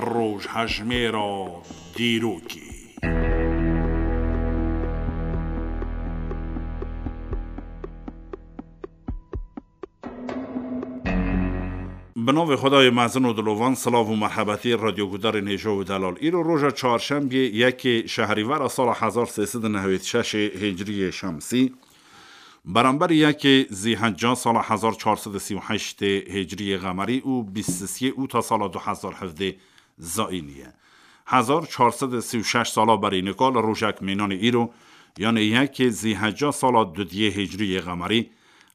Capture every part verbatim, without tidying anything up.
Rojhejmêra dîrokê. Bi navê Xwedayê mezin û dilovan, silav û merhebetî radyogudarên hêja û delal. Îro roja çarşembiyê yekê şehrîvera sala hezar sê sed û nehwêd şeşê hicriyê şemsî, beramberî yekê zîhecca sala hezar çar sed û sî û heştê hicriyê xemerî û bîst sisiyê ûta sala du hezar hevdê zayînî ye. Hezar çar sed û sî û şeş sala berî nika li rojek mînanê îro, yanê yekê zîhecca sala dudiyê hicriyê xemerî,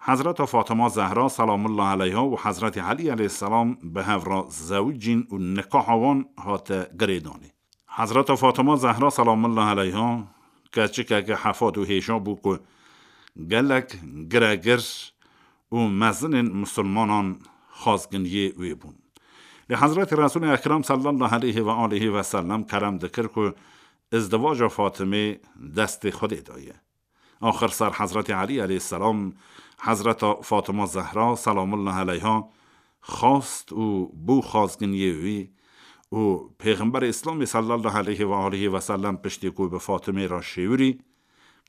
Hezreta Fatima Zehra selamullah aleyha û Hezretî Elî aleyhisselam bi hev re zewicîn û nikaha wan hate girêdanê. Hezreta Fatima Zehra selamullah aleyha keçikeke hefad û hêja bû ku gelek giregir û mezinên misilmanan xazginiyê wê bûn. Lê Hezretî Resûlê Ekrem sallallahu aleyhi ve aleyhi ve sellem kerem dikir ku izdivaca Fatimê destê Xwedê daye. Axir ser Hezretî Elî aleyhisselam, Hezreta Fatima Zehra selamullah aleyha xwest û bû xazginiyê wî û Pêxemberê Îslamê sallallahu aleyhi ve aleyhi ve sellem piştî ku bi Fatimê re şêwirî,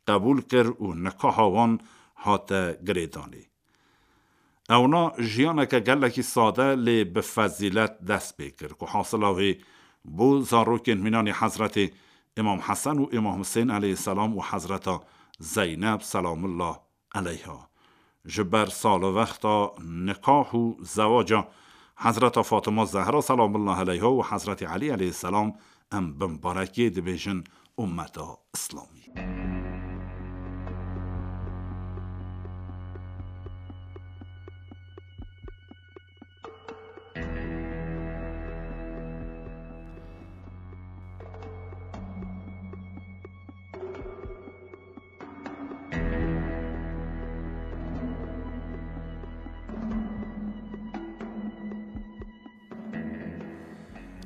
qebûl kir û nikaha wan hate girêdanê. Ewna jiyaneke gelekî sade lê bi fezîlet dest pê kir ku hasila wê bû zarokên mînanê Hezretê Îmam Hesen û Îmam Husên aleyhisselam û Hezreta Zeyneb selamullah aleyha. Ji ber salvexta nikah û zewaca Hezreta Fatima Zehra selamullah aleyha û Hezretî Elî aleyhisselam em bi mibarekiyê dibêjin ummeta Îslamî.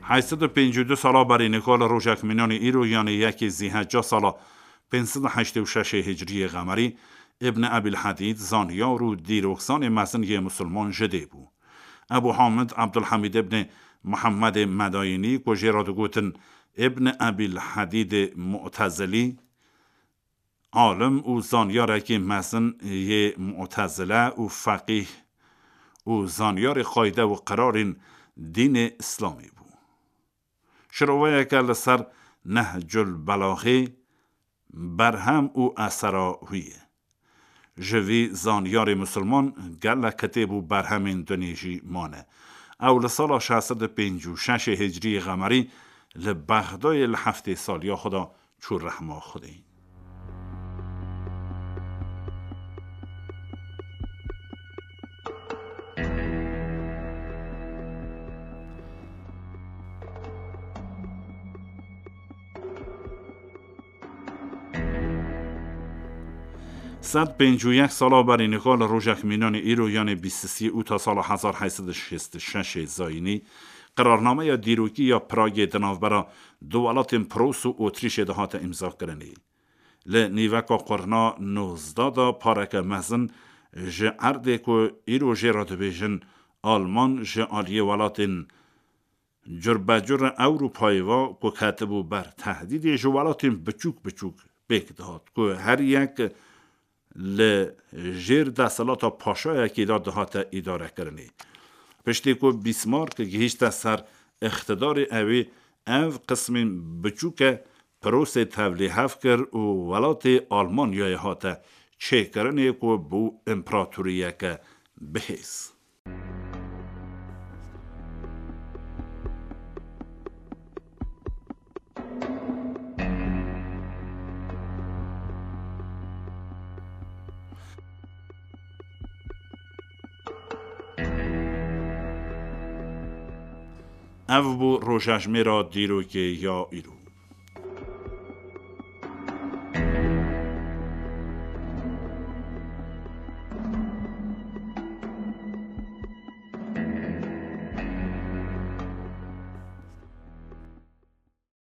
Heyt sed û pêncî û du sala berî nika li rojek mînanê îro, yanê yekê zîhecca sala pênc sed û heştê û şeşê hicriyê xemerî, Îbn Ebîl Hedîd, zanyar û dîrokzanê mezin yê misilman ji dê bû. Ebû Hamid Ebdulhemîd îbn Muhemmedê Medayînî, ku jê re digotin Îbn Ebîl Hedîdê Mu'tezilî, alim û zanyarekî mezin yê Mu'tezile û feqîh û zanyarê qayde û qirarên dînê Îslamî bû. Şiroveyeke li ser Nehcul Belaxê berhem û esera wî ye. Ji vî zanyarê misilman gelek kitêb û berhemên dinê jî mane. Ew li sala şeş sed û pêncî û şeşê hicriyê xemerî li Bexdayê li heftê saliya xwe de çû rehma Xwedê. Sed pêncî û yek sala berî nika li rojek mînanê îro, yanê bîst û sê ûta sala hezar heyt sed û şêst û şeşê zayînî, qirarnameya dîrokî ya Pragê di navbera du welatên Pros û Otrîşê de hate îmzakirinê. Li nîveka qurna nozdeh de pareke mezin ji erdê ku îro jê re dibêjin Alman, ji aliyê welatên curbecur Ewropayê ve ku ketibû ber tehdîdê, ji welatên biçûk biçûk pêk dihat ku her yek li jêr desthilata paşayekî de dihate îdarekirinê. Piştî ku Bismarck gihîşte ser îqtidarê, ewê ev qismên biçûke Prusê tevlîhev kir û welatê Almanyayê hate çêkirinê ku bû împeratoriyeke bihêz. Ev bû rojejmêra dîrokê ya îro.